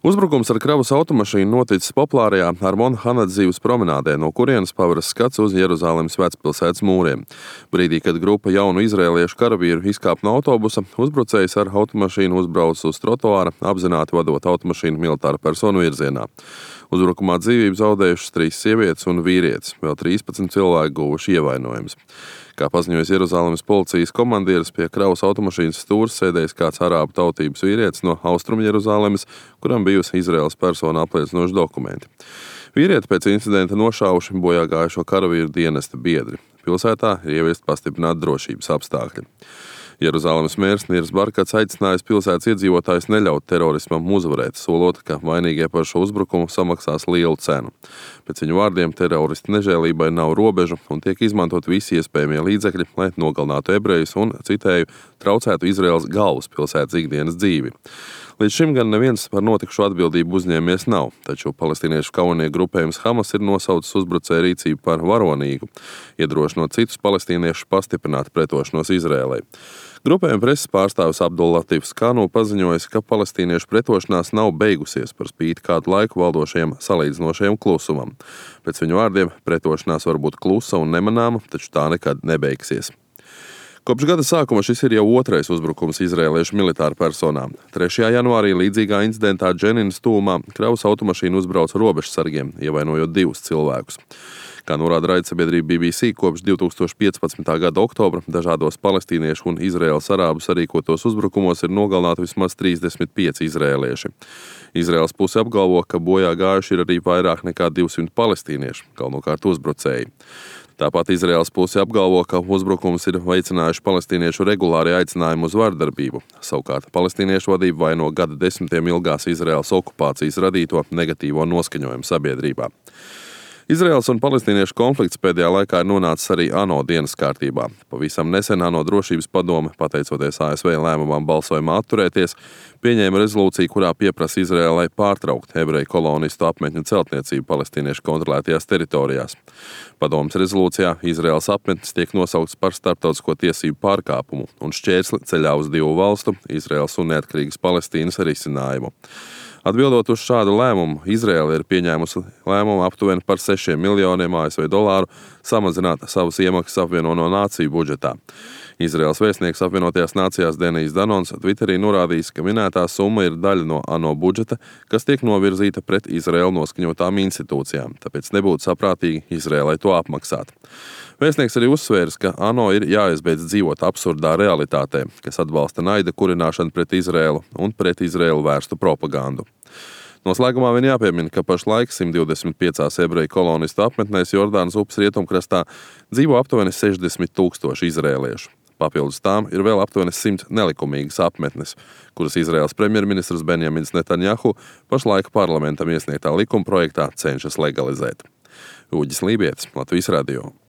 Uzbrukums ar kravas automašīnu noticis populārajā Armona Hanadzīvas promenādē, no kurienes paveras skats uz Jeruzalemes vecpilsētas mūriem. Brīdī, kad grupa jaunu izrēliešu karavīru izkāpa no autobusa, uzbrucējs ar automašīnu uzbrauca uz trotuāra, apzināti vadot automašīnu militāra personu virzienā. Uzbrukumā dzīvību zaudējušas 3 sievietes un vīrietis, vēl 13 cilvēki guvuši ievainojumus. Kā paziņoja Jeruzalemes policijas komandieris, pie kravas automašīnas stūres sēdējis kāds arābu tautības vīrietis no Austrumu Jeruzalemes, kuram bijusi Izraēlas persona apliecinoši dokumenti. Vīrieti pēc incidenta nošāvuši bojā gājušo karavīru dienesta biedri. Pilsētā ir ieviesti pastiprināti drošības apstākļi. Jeruzalemes mērs Nirs Barkats aicinājis pilsētas iedzīvotājus neļaut terorismam uzvarēt, solot, ka vainīgie par šo uzbrukumu samaksās lielu cenu. Pēc viņu vārdiem teroristu nežēlībai nav robežu un tiek izmantot visi iespējamie līdzekļi, lai nogalinātu ebrejus un, citēju, traucētu Izraēlas galvaspilsētas ikdienas dzīvi. Līdz šim gan neviens par notikušo atbildību uzņēmies nav, taču palestīniešu kaujinieku grupējums Hamas ir nosaucis uzbrucēju rīcību par varonīgu, iedrošinot citus palestīniešus pastiprināt pretošanos Izraēlai. Grupējuma preses pārstāvis Abdullatifs Kanu paziņojis, ka palestīniešu pretošanās nav beigusies par spīti kādu laiku valdošajam salīdzinošajam klusumam. Pēc viņu vārdiem pretošanās var būt klusa un nemanāma, taču tā nekad nebeigsies. Kopš gada sākuma šis ir jau otrais uzbrukums izraēliešu militāru personām. 3. janvārī līdzīgā incidentā Dženinas tūmā kravas automašīna uzbrauca robežsargiem, ievainojot 2 cilvēkus. Kā norāda raidsabiedrība BBC, kopš 2015. gada oktobra dažādos palestīniešu un Izraēlas arābu sarīkotos uzbrukumos ir nogalināti vismaz 35 izraēlieši. Izraēlas puse apgalvo, ka bojā gājuši ir arī vairāk nekā 200 palestīniešu, galvenokārt uzbrucēji. Tāpat Izraēlas puse apgalvo, ka uzbrukums ir veicinājuši palestīniešu regulāri aicinājumu uz vardarbību. Savukārt palestīniešu vadību vaino gada desmitiem ilgās Izraēlas okupācijas radīto negatīvo noskaņojumu sabiedrībā. Izraēlas un palestīniešu konflikts pēdējā laikā ir nonācis arī ANO dienas kārtībā. Pavisam nesen ANO drošības padome, pateicoties ASV lēmumam balsojumā atturēties, pieņēma rezolūciju, kurā pieprasa Izraēlai pārtraukt ebreju kolonistu apmetņu celtniecību palestīniešu kontrolētajās teritorijās. Padomes rezolūcijā Izraēlas apmetnes tiek nosaukts par starptautisko tiesību pārkāpumu un šķērsli ceļā uz 2 valstu, Izraēlas un neatkarīgas Palestīnas risinājumu. Atbildot uz šādu lēmumu, Izraēla ir pieņēmusi lēmumu aptuveni par 6 miljoniem ASV dolāru samazināt savas iemaksas apvienoto nāciju budžetā. Izraēlas vēstnieks apvienotajās nācijās Denijs Danons Twitterī norādījis, ka minētā summa ir daļa no ANO budžeta, kas tiek novirzīta pret Izraēlu noskaņotām institūcijām, tāpēc nebūtu saprātīgi Izraēlai to apmaksāt. Vēstnieks arī uzsvērs, ka ANO ir jāizbeidz dzīvot absurdā realitātē, kas atbalsta naida kurināšanu pret Izraēlu un pret Izraēlu vērstu propagandu. Noslēgumā vien jāpiemina, ka pašlaik 125 ebreju kolonistu apmetnēs Jordānas upes rietumkrastā dzīvo aptuveni 60 000 izraēliešu. Papildus tām ir vēl aptuveni 100 nelikumīgas apmetnes, kuras Izraēlas premjerministrs Benjamins Netanjahu pašlaik parlamentam iesniegtā likuma projektā cenšas legalizēt. Uģis Lībietis, Latvijas radio.